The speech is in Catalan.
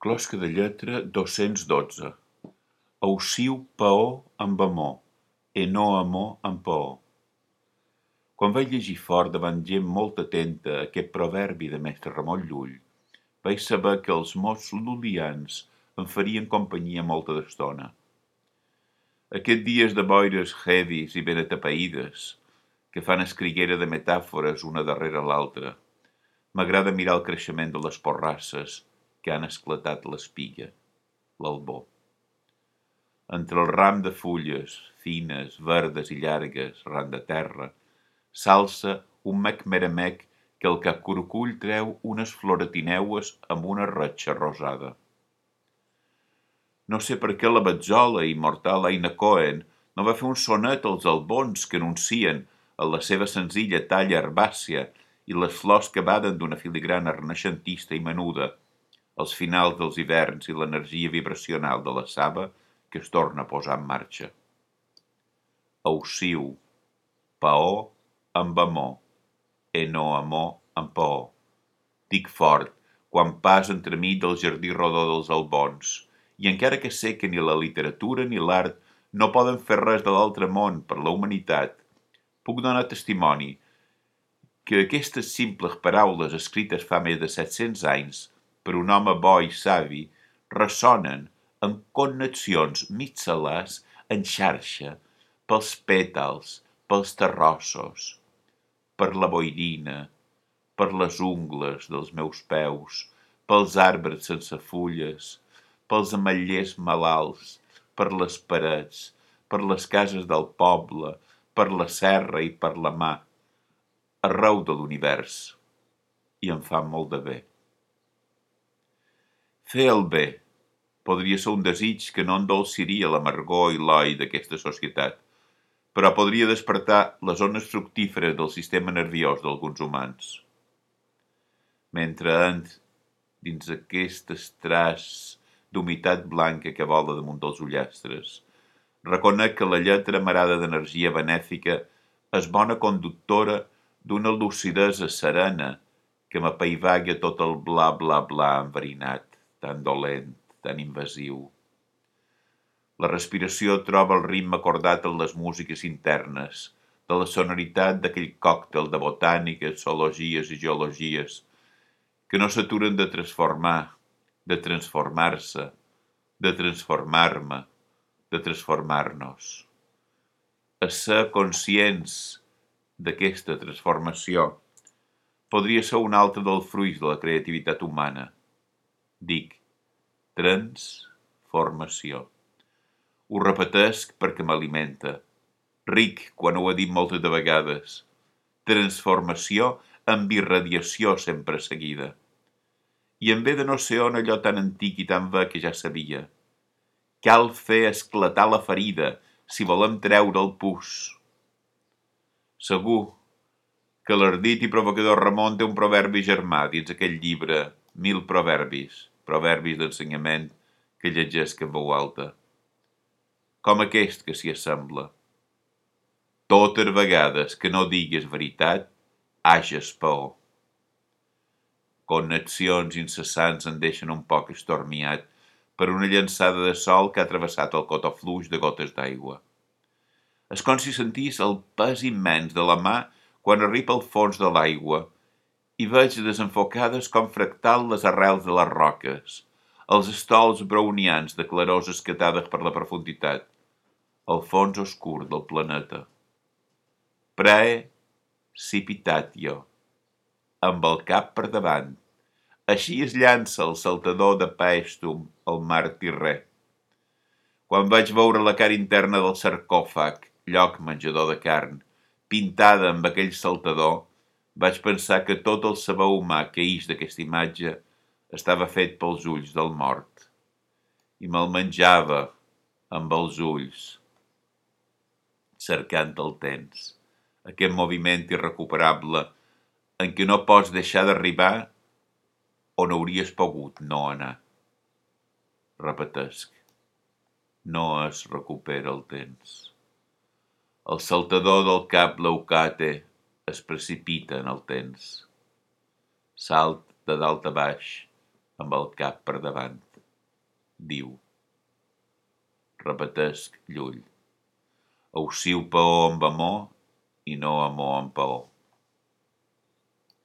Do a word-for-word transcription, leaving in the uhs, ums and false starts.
Closca de lletra dos-cents dotze. Auciu paó amb amor, e no amor amb paó. Quan vaig llegir fort davant gent molt atenta aquest proverbi de mestre Ramon Llull, vaig saber que els mots lul·lians em farien companyia molta d'estona. Aquests dies de boires heavies i ben atapeïdes, que fan escriguera de metàfores una darrere l'altra, m'agrada mirar el creixement de les porrasses que han esclatat l'espiga, l'albor. Entre el ram de fulles, fines, verdes i llargues, ran de terra, s'alça un mec-meramec que el capcurucull treu unes floretineues amb una ratxa rosada. No sé per què la Betzola immortal Aina Cohen no va fer un sonet als albons que anuncien, en la seva senzilla talla herbàcia i les flors que baden d'una filigrana renaixentista i menuda, els finals dels hiverns i l'energia vibracional de la saba que es torna a posar en marxa. Auciu, paó amb amor, e no amor amb paó. Dic fort, quan pas entremig del jardí rodó dels albons, i encara que sé que ni la literatura ni l'art no poden fer res de l'altre món per la humanitat, puc donar testimoni que aquestes simples paraules escrites fa més de set-cents anys per un home bo i savi ressonen amb connexions mixelars en xarxa pels pètals, pels terrossos, per la boirina, per les ungles dels meus peus, pels arbres sense fulles, pels ametllers malalts, per les parets, per les cases del poble, per la serra i per la mà, arreu de l'univers, i em fa molt de bé. Fer el bé podria ser un desig que no endolciria l'amargor i l'oi d'aquesta societat, però podria despertar les zones fructíferes del sistema nerviós d'alguns humans. Mentre ent dins aquest estràs d'humitat blanca que vola damunt dels ullastres, reconec que la lletra amarada d'energia benèfica és bona conductora d'una lucidesa serena que m'apaivaga tot el bla bla bla enverinat, tan dolent, tan invasiu. La respiració troba el ritme acordat en les músiques internes, de la sonoritat d'aquell còctel de botàniques, zoologies i geologies, que no s'aturen de transformar, de transformar-se, de transformar-me, de transformar-nos. A ser conscients d'aquesta transformació podria ser un altre dels fruits de la creativitat humana. Dic, transformació. Ho repetesc perquè m'alimenta. Ric, quan ho he dit moltes de vegades. Transformació amb irradiació sempre seguida. I em ve de no sé on allò tan antic i tan ve que ja sabia. Cal fer esclatar la ferida si volem treure el pus. Segur que l'ardit i provocador Ramon té un proverbi germà dins aquell llibre Mil proverbis, proverbis d'ensenyament que llegesc en veu alta. Com aquest que s'hi assembla. Totes vegades que no digues veritat, hages paó. Connexions incessants en deixen un poc estormiat per una llançada de sol que ha travessat el cotó fluix de gotes d'aigua. És com si sentís el pes immens de la mà quan arriba al fons de l'aigua i veig desenfocades com fractal les arrels de les roques, els estols brownians de clarors escatades per la profunditat, el fons oscur del planeta. Precipitatio, amb el cap per davant. Així es llança el saltador de Paestum al mar Tirrè. Quan vaig veure la cara interna del sarcòfag, lloc menjador de carn, pintada amb aquell saltador, vaig pensar que tot el saber humà que ix d'aquesta imatge estava fet pels ulls del mort. I me'l menjava amb els ulls, cercant el temps, aquest moviment irrecuperable en què no pots deixar d'arribar on hauries pogut no anar. Repetesc, no es recupera el temps. El saltador del cap leucate es precipita en el temps. Salt de dalt a baix amb el cap per davant. diu. Repetesc Llull. Auxiu paó amb amor i no amor amb paó.